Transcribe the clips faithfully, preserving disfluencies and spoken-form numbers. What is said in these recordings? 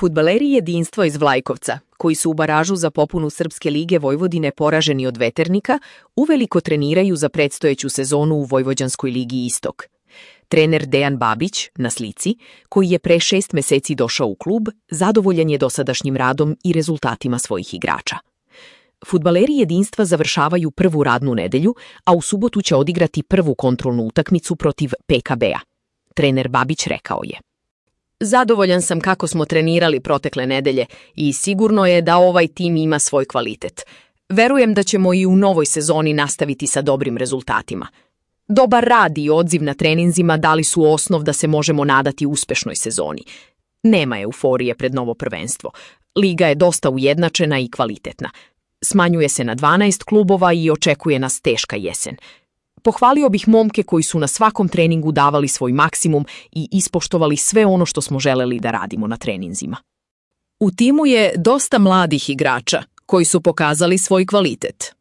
Fudbaleri Jedinstva iz Vlajkovca, koji su u baražu za popunu Srpske lige Vojvodine poraženi od Veternika, uveliko treniraju za predstojeću sezonu u Vojvođanskoj ligi Istok. Trener Dejan Babić, na slici, koji je pre šest meseci došao u klub, zadovoljan je dosadašnjim radom i rezultatima svojih igrača. Fudbaleri Jedinstva završavaju prvu radnu nedelju, a u subotu će odigrati prvu kontrolnu utakmicu protiv P K B-a. Trener Babić rekao je: "Zadovoljan sam kako smo trenirali protekle nedelje i sigurno je da ovaj tim ima svoj kvalitet. Verujem da ćemo i u novoj sezoni nastaviti sa dobrim rezultatima. Dobar rad i odziv na treninzima dali su osnov da se možemo nadati uspešnoj sezoni. Nema euforije pred novo prvenstvo. Liga je dosta ujednačena i kvalitetna. Smanjuje se na dvanaest klubova i očekuje nas teška jesen. Pohvalio bih momke koji su na svakom treningu davali svoj maksimum i ispoštovali sve ono što smo želeli da radimo na treninzima." U timu je dosta mladih igrača koji su pokazali svoj kvalitet.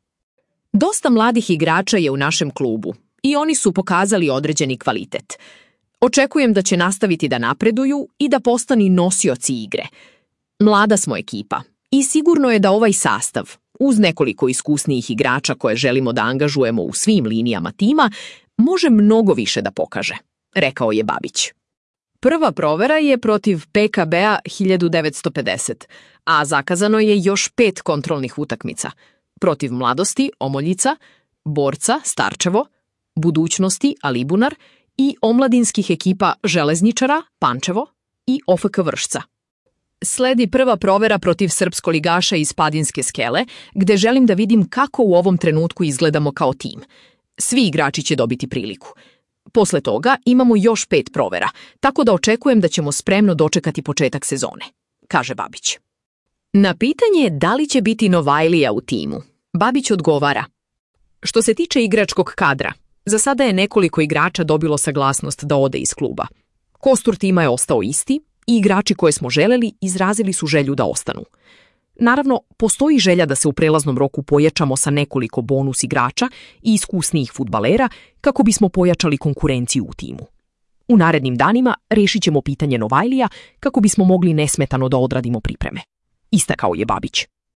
Dosta mladih igrača je u našem klubu i oni su pokazali određeni kvalitet. Očekujem da će nastaviti da napreduju i da postanu nosioci igre. Mlada smo ekipa i sigurno je da ovaj sastav, uz nekoliko iskusnijih igrača koje želimo da angažujemo u svim linijama tima, može mnogo više da pokaže, rekao je Babić. Prva provera je protiv P K B-a hiljadu devetsto pedeset, a zakazano je još pet kontrolnih utakmica. Protiv Mladosti, Omoljica, Borca, Starčevo, Budućnosti, Alibunar i omladinskih ekipa Železničara, Pančevo i O F K Vršca. Sledi prva provera protiv srpskoligaša iz Padinske Skele, gde želim da vidim kako u ovom trenutku izgledamo kao tim. Svi igrači će dobiti priliku. Posle toga imamo još pet provera, tako da očekujem da ćemo spremno dočekati početak sezone, kaže Babić. Na pitanje da li će biti Novajlija u timu, Babić odgovara: "Što se tiče igračkog kadra, za sada je nekoliko igrača dobilo saglasnost da ode iz kluba. Kostur tima je ostao isti i igrači koje smo želeli izrazili su želju da ostanu. Naravno, postoji želja da se u prelaznom roku pojačamo sa nekoliko bonus igrača i iskusnijih fudbalera kako bismo pojačali konkurenciju u timu. U narednim danima rešit ćemo pitanje Novajlija kako bismo mogli nesmetano da odradimo pripreme", istakao je Babić.